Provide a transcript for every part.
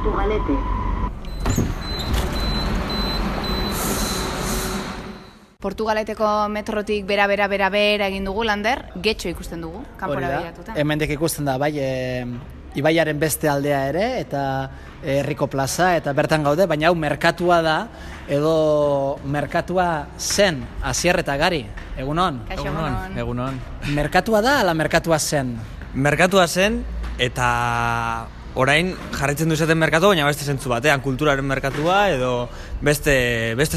Portugalete. Portugaleteko metrotik bera egin dugu, Lander, Getxo ikusten dugu, kanpora begiratuta. Hemendik ikusten da, bai, ibaiaren beste aldea ere, eta herriko plaza, eta bertan gaude, baina hau merkatua da, edo merkatua zen, Asier eta Gari, egunon? Egunon. Merkatua da, ala merkatua zen? Merkatua zen, eta orain jarraitzen du izaten merkatua, baina beste zentzu batean, kulturaren merkatua, edo beste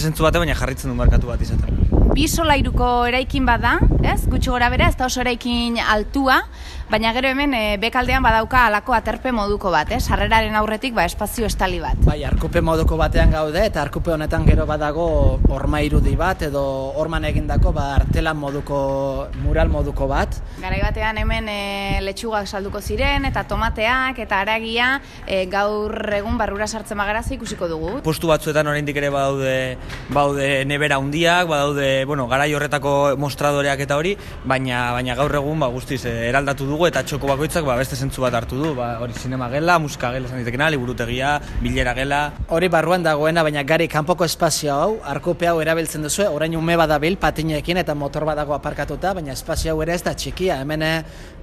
zentzu batean, baina jarraitzen du merkatu bat izaten. Bi solairuko eraikin bat da, ez? Gutxi gora bera, ez da oso eraikin altua, baina gero hemen bekaldean badauka alako aterpe moduko bat, sarreraren aurretik espazio estali bat. Bai, arkupe moduko batean gaude, eta arkupe honetan gero badago horma irudi bat, edo horman egindako artelan moduko, mural moduko bat. Garai batean hemen letxugak salduko ziren, eta tomateak, eta haragia gaur egun barrura sartzen bagara ikusiko dugu. Postu batzuetan oraindik ere baude nebera handiak, badaude, garai horretako mostradoreak eta hori, baina gaur egun guztiz eraldatu dugu eta txoko bakoitzak beste zentzu bat hartu du, hori zinema gela, musika gela esan ditekena, liburutegia, bilera gela. Hori barruan dagoena, baina Gari kanpoko espazio hau, arkupe hau erabiltzen duzu, orain ume badabil patinekin eta motor badago aparkatuta, baina espazio hau ere ez da txikia, hemen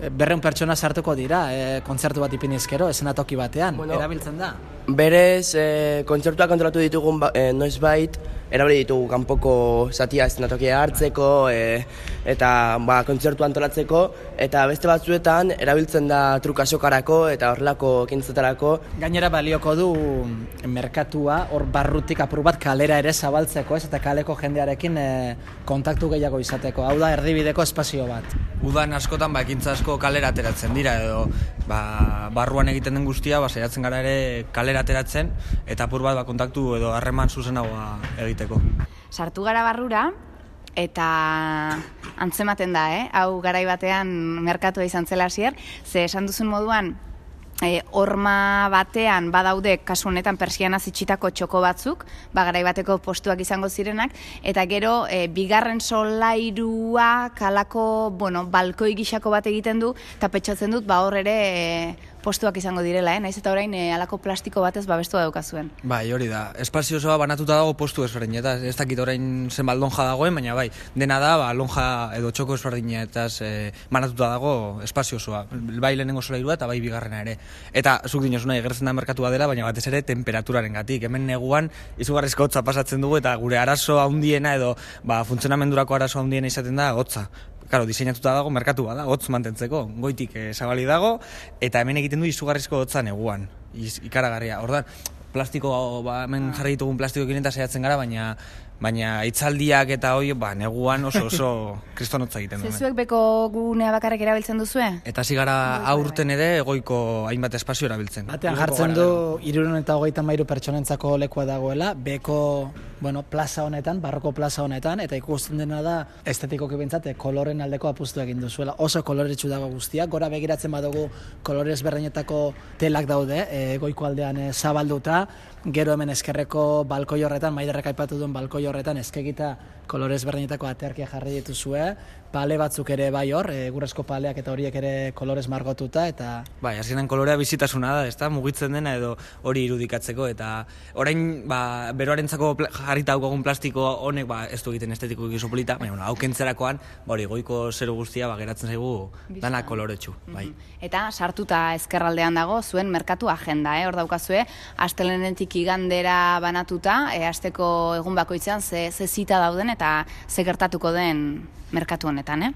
200 pertsona sartuko dira, kontzertu bat ipinizkero, eszenatoki batean, erabiltzen da. Berez, kontzertuak kontrolatu ditugun noizbait, erabili ditugu kanpoko zatia eszenatokia hartzeko eta kontzertu antolatzeko, eta beste batzuetan erabiltzen da trukasokarako eta horrelako ekintzetarako. Gainera balioko du merkatua hor barrutik apur bat kalera ere zabaltzeko, ez, eta kaleko jendearekin kontaktu gehiago izateko. Hau da erdibideko espazio bat. Udan askotan ekintza asko kalera ateratzen dira, edo barruan egiten den guztia saiatzen gara ere kalera ateratzen, eta apur bat kontaktu edo harreman zuzenagoa egiteko. Sartu gara barrura, eta antzematen da, hau garai batean merkatua izan zela Asier, ze esan duzun moduan, horma batean badaude kasu honetan persiana itxitako txoko batzuk, garai bateko postuak izango zirenak, eta gero bigarren solairua kalako, balkoi gixako bat egiten du, eta pentsatzen dut hor ere postuak izango direla, naiz eta orain alako plastiko batez babestua daukazuen. Bai, hori da. Espazio osoa banatuta dago postu ezberdinetaz. Ez dakit orain zenbat lonja dagoen, baina bai, dena da lonja edo txoko ezberdinetaz banatuta dago espazio osoa. Bai lehenengo solairua eta bai bigarrena ere. Eta zuk dinosu nahi, gertzen da merkatua dela, baina batez ere temperaturaren gatik. Hemen neguan izugarrizko hotza pasatzen dugu eta gure arazo handiena edo funtzionamendurako arazo handiena izaten da hotza. Claro, diseinatuta dago merkatua da, hotz mantentzeko, goitik zabali dago, eta hemen egiten du izugarrizko hotza neguan, ikaragarria. Ordan, plastiko, hemen jarri ditugun plastikoekin eta saiatzen gara, baina hitzaldiak eta hori, neguan oso kristonotza egiten du. Zezuek beko gunea bakarrik erabiltzen duzue? Eta hasi gara aurten ere egoiko hainbat espazio erabiltzen. Batean jartzen du 333 pertsonentzako lekua dagoela, beko plaza honetan, barroko plaza honetan, eta ikusten dena da estetikoki behintzat koloren aldeko apustu egin duzuela. Oso koloretsu dago guztiak, gora begiratzen badugu kolore ezberdinetako telak daude, goiko aldean zabalduta, gero hemen eskerreko balkoi horretan, Maiderrek aipatu duen balkoi horretan eskegita kolore ezberdinetako aterkia jarri dituzue, pale batzuk ere bai hor, egurrezko paleak eta horiek ere kolorez margotuta, eta... Bai, azkenean kolorea bizitasuna da, ezta? Mugitzen dena edo hori irudikatzeko, eta orain, beroarentzako jarrita daukagun plastiko honek, ez du egiten estetiko egizu polita, baina hau kentzerakoan, hori goiko zeru guztia geratzen zaigu dana koloretsu, bai. Eta sartuta ezkerraldean dago, zuen merkatu agenda, hor daukazue, astelehenetik igandera banatuta, asteko egun bakoitzean ze zita dauden eta ze gertatuko den merkatu honetan,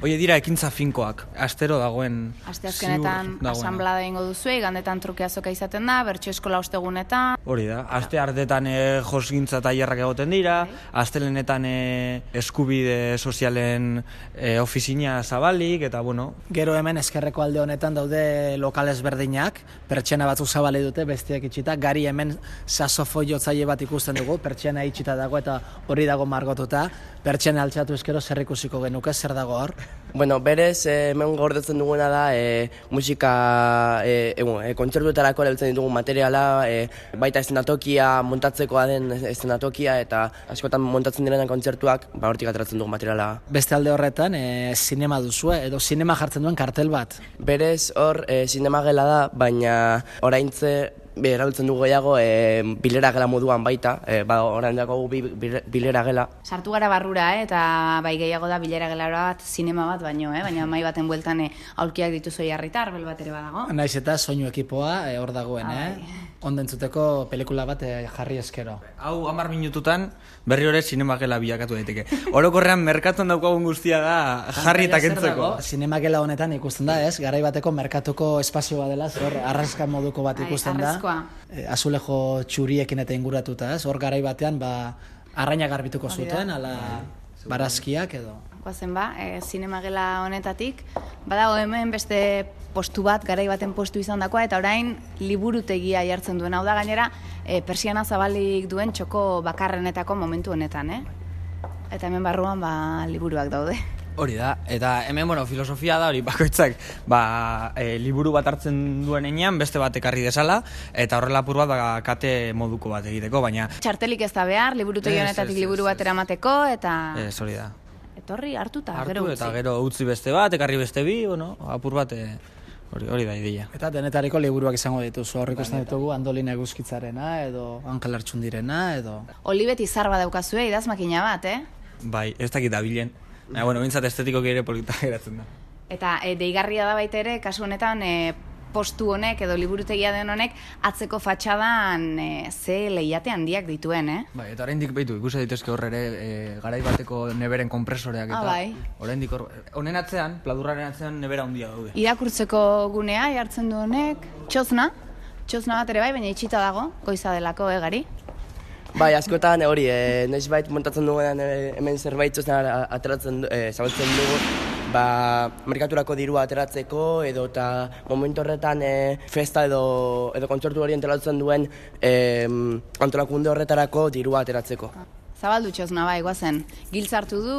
Hoi dira ekintza finkoak, astero dagoen... Asteazkenetan asanblada egingo duzu, igandetan truke azoka izaten da, bertso eskola ostegunetan... Hori da, aste artetan josgintza tailerrak egoten dira, astelenetan eskubide sozialen ofizina zabalik, eta Gero hemen eskerreko alde honetan daude lokal ezberdinak, pertsena batzuk zabali dute, bestiak itxita, Gari hemen saxofoiotzaile bat ikusten dugu, pertsena itxita dago eta hori dago margotuta, pertsena altxatu eskero zer ikusiko genuke, zer dago hor? Berez, hemen gordetzen duguna da musika, kontzertuetarako erabiltzen ditugun materiala, baita eszenatokia, montatzekoa den eszenatokia, eta askotan montatzen direnak kontzertuak, hortik ateratzen dugun materiala. Beste alde horretan, zinema duzue, edo zinema jartzen duen kartel bat? Berez, hor, zinema gela da, baina oraintze erabiltzen dugu gehiago bilera gela moduan baita, orain dago bilera gela. Sartu gara barrura, eta bai gehiago da bilera gelara bat, zinema bat baino, baina mai baten bueltan aulkiak dituzu jarrita, arbel bat ere badago. Naiz eta soinu ekipoa hor dagoen, ondentzuteko pelikula bat jarri eskero. Hau 10 minututan berri hori zinemagela bilakatu daiteke. Orokorrean merkatuan daukagun guztia da jarri eta kentzeko. Zinemagela honetan ikusten da, ez? Garai bateko merkatuko espazio bat dela, hor arraska moduko bat ikusten da. Azulejo txuriekin eta inguratuta, ez? Hor garai batean arraina garbituko zuten, ala barazkiak edo. Guazen zinemagela honetatik, badago hemen beste postu bat, garai baten postu izan dakoa, eta orain liburutegia jartzen duen. Hau da gainera, persiana zabalik duen txoko bakarrenetako momentu honetan, Eta hemen barruan liburuak daude. Hori da, eta hemen, filosofia da, hori bakoitzak, liburu bat hartzen duen enean, beste bat ekarri desala, eta horrela apur bat kate moduko bat egiteko, baina... Txartelik ez da behar, liburutegi honetatik liburu bat eramateko, eta... Hori da. Etorri, hartu eta gero utzi. Eta gero utzi beste bat, ekarri beste bi, apur bat, hori da ideia. Eta denetariko liburuak izango dituzu, hor ikusten ditugu Andolina Eguzkitzarena, edo Ankel Artxundirena, edo... Olibet izar bat daukazue, idazmakina bat, Bai, ez dakit dabilen. Bintzat estetikoki ere polita geratzen da. Eta deigarria da baita ere, kasu honetan, postu honek edo liburutegia den honek atzeko fatxadan ze lehiate handiak dituen, Bai, eta oraindik baitu, ikusi daitezke hor ere garai bateko neberen konpresoreak eta bai. Oraindik hor, honen atzean, pladurraren atzean nebera handia daude. Irakurtzeko gunea jartzen du honek, txosna bat ere bai, baina itxita dago, goiza delako, gari? Bai, askotan hori, noizbait montatzen dugunean hemen zerbait txosna ateratzen zabaltzen dugu, merkaturako dirua ateratzeko edo eta momentu horretan festa edo kontzertu hori antolatzen duen antolakunde horretarako dirua ateratzeko. Zabaldu txosna bai, guazen, giltzartu du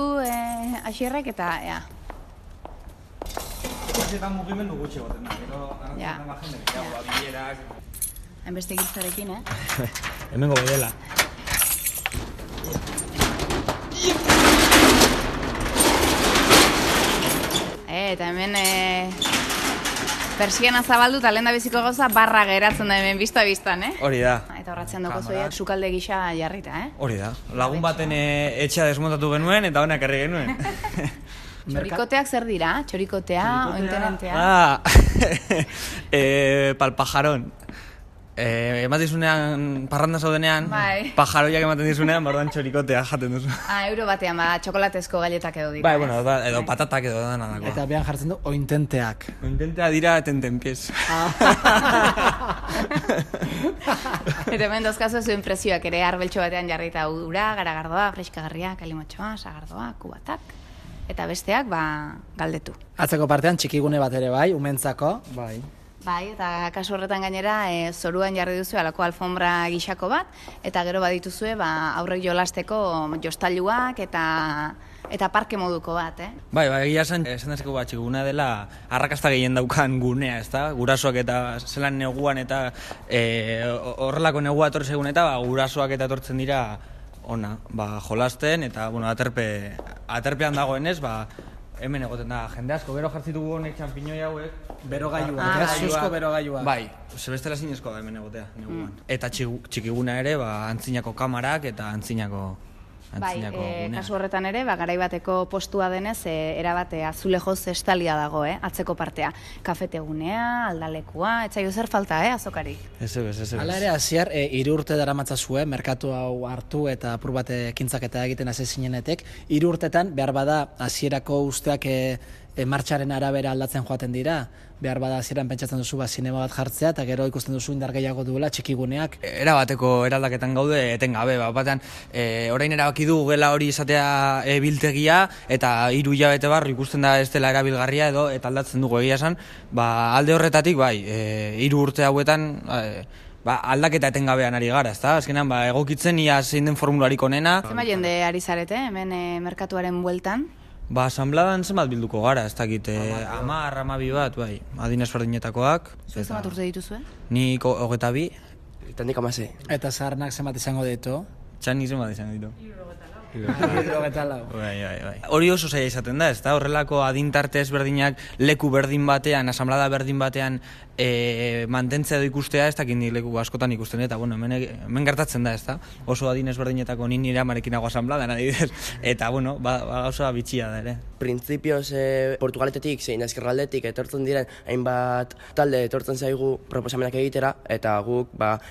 Asierrek eta ea. Eta mugimendu gutxi goten da, gero anantzatzen da jende, bilerak... Hainbeste giltzarekin, Hemengo bedela. Eta hemen persiana zabaldu eta lehen da biziko gauza barra geratzen da hemen bizta-biztan, Hori da. Eta horratzen dugu zoiak sukalde gisa jarrita, Hori da. Lagun baten etxea desmontatu genuen eta honak herri genuen. Txorikoteak zer dira? Txorikotea, ointenentea? Palpajaron. Ematizunean, parranda zaudenean, pajaroiak ematen dizunean, barruan txorikotea jaten duzu. Euro batean, txokolatezko galletak edo dira. Bai, edo patatak edo dana dagoa. Eta behan jartzen du ointenteak. Ointentea dira tentenpiez. Eta hemen dozkazu zuen prezioak ere arbeltxo batean jarrita ura, garagardoa, freskagarria, kalimotxoa, sagardoa, kubatak. Eta besteak, galdetu. Atzeko partean txikigune bat ere bai, umentzako. Bai, eta kasu horretan gainera zoruan jarri duzu alako alfombra gixako bat, eta gero badituzue aurrek jolasteko jostailuak eta parke moduko bat, Bai, egia esan dezeko txikiguna dela arrakasta gehien daukan gunea, ezta? Gurasoak eta zelan neguan eta horrelako negua etorri segun eta gurasoak eta etortzen dira ona, jolasten eta aterpean dagoenez, hemen egoten da jende asko, gero jartzitugu honek txampiñoi hauek, berogailuak, zuzko berogailuak. Bai, zebestela zinezko da hemen egotea, neguan. Eta txikiguna ere, antzinako kamarak eta antzinako gunea. Kasu horretan ere, garai bateko postua denez, erabate azulejoz estalia dago, atzeko partea. Kafetegunea, aldalekua, etzaio zer falta, azokarik. Ez. Hala ere, Asier, 3 urte daramatzazue, merkatu hau hartu eta apur bat ekintzaketa egiten hasi zinenetek. 3 urtetan, behar bada, Asierako usteak martxaren arabera aldatzen joaten dira, behar bada hasieran pentsatzen duzu zinema bat jartzea, eta gero ikusten duzu indar gehiago duela txikiguneak. Erabateko eraldaketan gaude, etengabe, batean, orain erabaki du gela hori izatea biltegia, eta 3 hilabete barru ikusten da ez dela erabilgarria edo, eta aldatzen dugu egia esan, alde horretatik, 3 urte hauetan, aldaketa etengabean ari gara, ezta? Azkenean, egokitzen ia zein den formularik onena. Zema jende ari zarete, hemen merkatuaren bueltan? Asambladan zenbat bilduko gara, ez dakit, 10, 12 bat, adinez berdinetakoak. Zenbat urte dituzue? Nik 22. Eta nik 16. Eta zaharnak zenbat izango ditu? Txanik zenbat izango ditu. Bai. Hori oso zaila izaten da, ezta? Horrelako adintarte ezberdinak leku berdin batean, asamblada berdin batean mantentzea edo ikustea, ez dakit nik leku askotan ikusten, eta bueno, hemen gertatzen da, ezta? Oso adin ezberdinetako nire amarekin nago asamblada, adibidez, eta bueno, gauza bitxia da ere. Printzipioz Portugaletetik zein ezkerraldetik etortzen diren hainbat talde etortzen zaigu proposamenak egitera, eta guk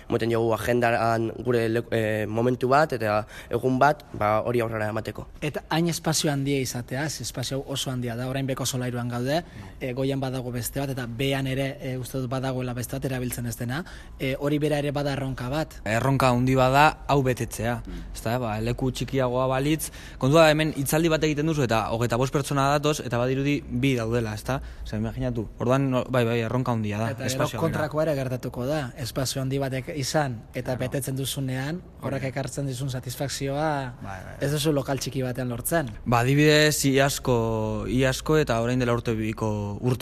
moten jogu agendan gure momentu bat eta egun bat hori aurrera emateko. Eta hain espazio handia izatea, espazio oso handia da, orain beko solairuan gaude, goian badago beste bat, eta behan ere uste dut badagoela beste bat erabiltzen ez dena, hori bera ere bada erronka bat. Erronka handi bada hau betetzea, ezta? Leku txikiagoa balitz, kontua hemen hitzaldi bat egiten duzu eta 25 pertsona datoz eta badirudi 2 daudela, ezta? Osea, imaginatu. Orduan bai, erronka handia da, espazioa. Eta kontrakoa ere gertatuko da, espazio handi batek izan eta betetzen duzunean, horrek ekartzen dizun satisfakzioa ez duzu lokal txiki batean lortzen. Adibidez, iazko eta orain dela urte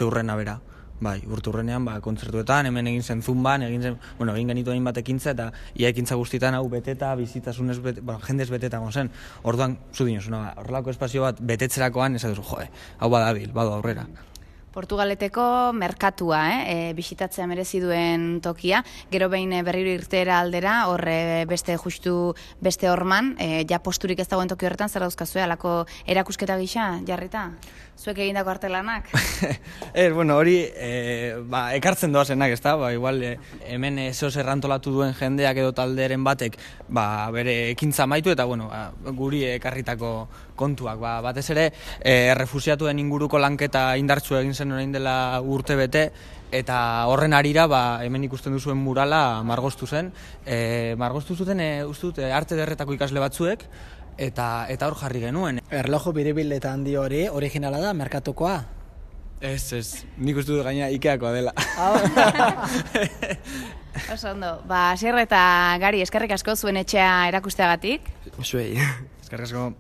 urrena bera. Bai, urte urrenean, kontzertuetan, hemen egin zen zumban, egin genitu hain bat ekintza, eta ia ekintza guztietan hau beteta, bizitasunez jendez beteta zen. Orduan, zu dinozuna, horrelako espazio bat betetzerakoan, ez duzu, hau badabil, badu aurrera. Portugaleteko merkatua, bisitatzea merezi duen tokia, gero behin berriro irtera aldera, horre beste horman, ja posturik ez dagoen toki horretan, zer dauzkazue, alako erakusketa gisa, jarrita? Zuek egindako artelanak? Hori, ekartzen doazenak, ez da? Igual, hemen ezoz errantolatu duen jendeak edo talderen batek, bere ekintza maitu, eta, guri ekarritako kontuak. Batez ere, refusiatuen inguruko lanketa indartsu egin zen orain dela urte bete, eta horren arira, hemen ikusten duzuen murala margostu zen. Margostu zuten, arte derretako ikasle batzuek, eta hor jarri genuen. Erloju biribil eta handi hori, originala da, merkatukoa? Ez, nik uste dut gaina Ikeakoa dela. Oso ondo, Asier eta Gari, eskerrik asko zuen etxea erakusteagatik. Zuei. Eskerrik asko.